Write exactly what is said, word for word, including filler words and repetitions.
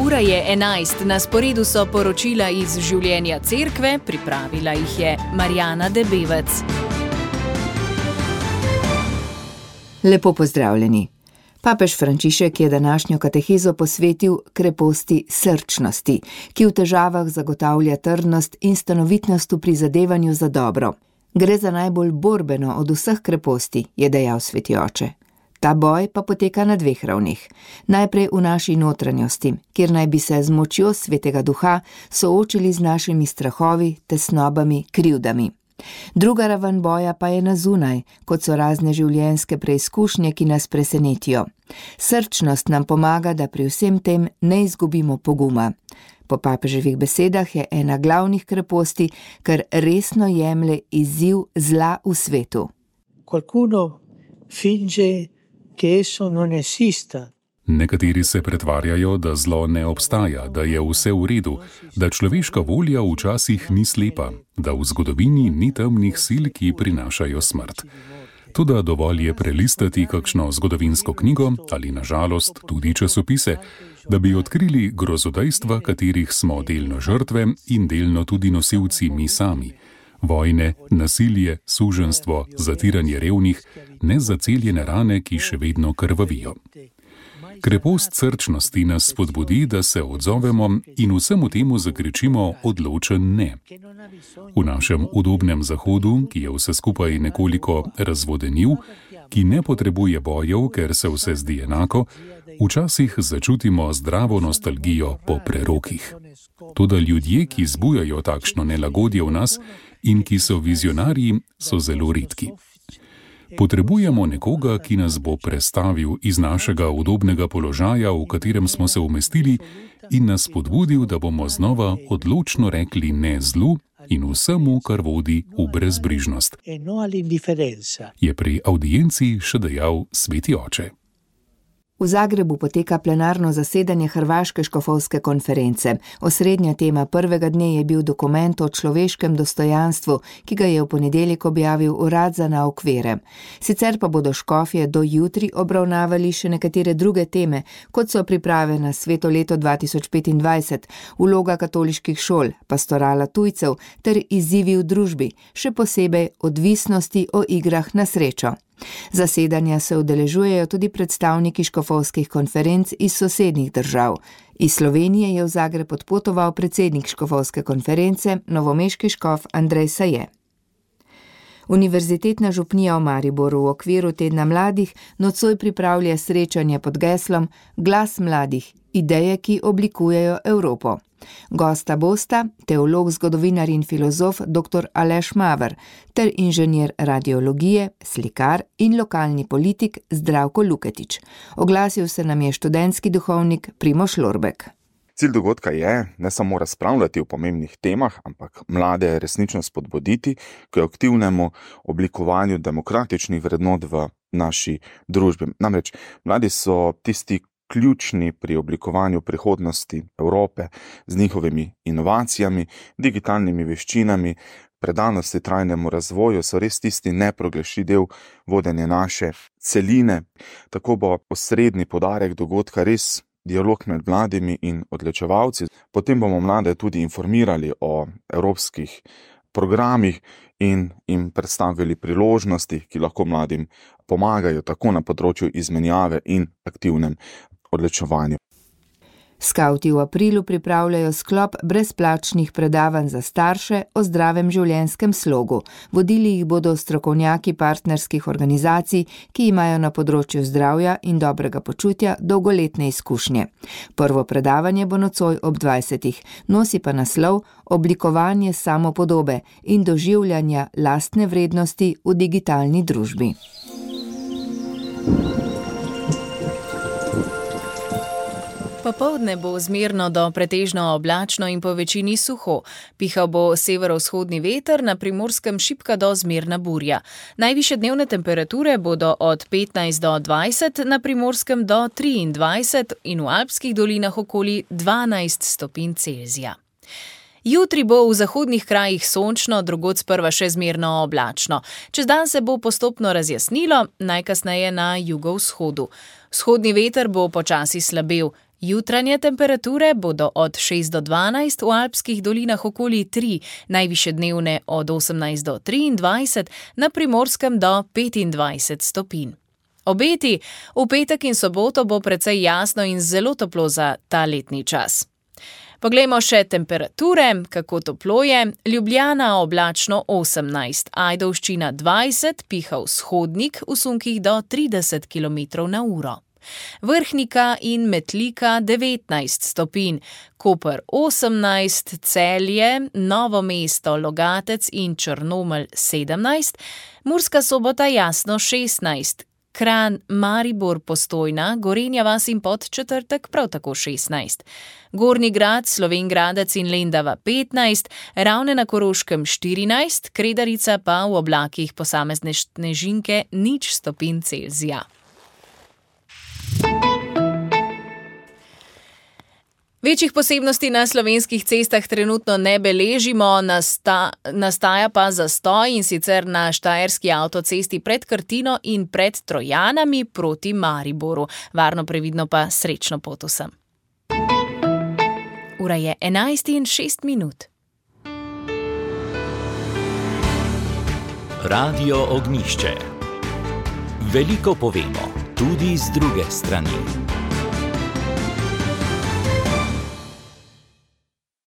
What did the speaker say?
Ura je enajst, na sporedu so poročila iz življenja cerkve, pripravila jih je Marjana Debevec. Lepo pozdravljeni. Papež Frančišek je današnjo katehezo posvetil kreposti srčnosti, ki v težavah zagotavlja trdnost in stanovitnost v prizadevanju za dobro. Gre za najbolj borbeno od vseh kreposti, je dejal sveti oče. Ta boj pa poteka na dveh ravneh. Najprej v naši notranjosti, kjer naj bi se z močjo svetega duha soočili z našimi strahovi, tesnobami, krivdami. Druga raven boja pa je na zunaj, kot so razne življenjske preizkušnje, ki nas presenetijo. Srčnost nam pomaga, da pri vsem tem ne izgubimo poguma. Po papeževih besedah je ena glavnih kreposti, ker resno jemlje izziv zla v svetu. Qualcuno finge che esso non esista. Nekateri se pretvarjajo, da zlo ne obstaja, da je vse v redu, da človeška volja včasih ni slepa, da v zgodovini ni temnih sil, ki prinašajo smrt. Toda dovolj je prelistati kakšno zgodovinsko knjigo ali na žalost tudi časopise, da bi odkrili grozodejstva, katerih smo delno žrtve in delno tudi nosilci mi sami. Vojne, nasilje, suženjstvo, zatiranje revnih, nezaceljene rane, ki še vedno krvavijo. Krepost srčnosti nas spodbudi, da se odzovemo in vsemu temu zakričimo odločen ne. V našem udobnem zahodu, ki je vse skupaj nekoliko razvodenil, ki ne potrebuje bojev, ker se vse zdi enako, včasih začutimo zdravo nostalgijo po prerokih. Toda ljudje, ki zbujajo takšno nelagodje v nas in ki so vizionarji, so zelo redki. Potrebujemo nekoga, ki nas bo prestavil iz našega udobnega položaja, v katerem smo se umestili, in nas spodbudil, da bomo znova odločno rekli ne zlu in vsemu, kar vodi v brezbrižnost, je pri avdienci še dejal sveti oče. V Zagrebu poteka plenarno zasedanje Hrvaške škofovske konference. Osrednja tema prvega dne je bil dokument o človeškem dostojanstvu, ki ga je v ponedeljek objavil urad za nauk vere. Sicer pa bodo škofje do jutri obravnavali še nekatere druge teme, kot so priprave na sveto leto dva tisoč petindvajset, vloga katoliških šol, pastorala tujcev ter izzivi v družbi, še posebej odvisnosti o igrah na srečo. Zasedanja se udeležujejo tudi predstavniki škofovskih konferenc iz sosednjih držav. Iz Slovenije je v Zagreb odpotoval predsednik škofovske konference, novomeški škof Andrej Saje. Univerzitetna župnija v Mariboru v okviru tedna mladih nocoj pripravlja srečanje pod geslom Glas mladih, ideje, ki oblikujejo Evropo. Gosta bosta teolog, zgodovinar in filozof doktor Aleš Maver ter inženir radiologije, slikar in lokalni politik Zdravko Luketič. Oglasil se nam je študentski duhovnik Primož Lorbek. Cilj dogodka je ne samo razpravljati o pomembnih temah, ampak mlade resnično spodbuditi k aktivnemu oblikovanju demokratičnih vrednot v naši družbi. Namreč mladi so tisti ključni pri oblikovanju prihodnosti Evrope z njihovimi inovacijami, digitalnimi veščinami, predanosti trajnemu razvoju, so res tisti neprogrešljiv del vodenja naše celine. Tako bo osrednji poudarek dogodka res dialog med mladimi in odločevalci. Potem bomo mlade tudi informirali o evropskih programih in jim predstavili priložnosti, ki lahko mladim pomagajo tako na področju izmenjave in aktivnem odločevanju. Skavti v aprilu pripravljajo sklop brezplačnih predavanj za starše o zdravem življenjskem slogu. Vodili jih bodo strokovnjaki partnerskih organizacij, ki imajo na področju zdravja in dobrega počutja dolgoletne izkušnje. Prvo predavanje bo nocoj ob dvajsetih, nosi pa naslov Oblikovanje samopodobe in doživljanja lastne vrednosti v digitalni družbi. Popoldne bo zmerno do pretežno oblačno in po večini suho. Pihal bo severovzhodni veter, na Primorskem šibka do zmerna burja. Najvišje dnevne temperature bodo od petnajst do dvajset, na Primorskem do triindvajset in v alpskih dolinah okoli dvanajst stopinj Celzija. Jutri bo v zahodnih krajih sončno, drugod sprva še zmerno oblačno. Čez dan se bo postopno razjasnilo, najkasneje na jugovzhodu. Vzhodni veter bo počasi slabel. Jutranje temperature bodo od šest do dvanajst, v alpskih dolinah okoli tri, najvišje dnevne od osemnajst do triindvajset, na Primorskem do petindvajset stopinj. Obeti: v petek in soboto bo precej jasno in zelo toplo za ta letni čas. Poglejmo še temperature, kako toplo je. Ljubljana oblačno osemnajst, Ajdovščina dvajset, piha vzhodnik, v sunkih do trideset kilometrov na uro. Vrhnika in Metlika devetnajst stopinj, Koper osemnajst, Celje, Novo mesto, Logatec in Črnomelj sedemnajst, Murska Sobota jasno šestnajst, Kranj, Maribor, Postojna, Gorenja vas in Podčetrtek prav tako šestnajst. Gornji Grad, Slovenj Gradec in Lendava petnajst, Ravne na Koroškem štirinajst, Kredarica pa v oblakih posamezne snežinke nič stopinj Celzija. Večjih posebnosti na slovenskih cestah trenutno ne beležimo, nasta, nastaja pa zastoj, in sicer na štajerski avtocesti pred Krtino in pred Trojanami proti Mariboru. Varno, previdno pa srečno pot vsem. Ura je enajst in šest minut. Radio Ognjišče. Veliko povemo, tudi z druge strani.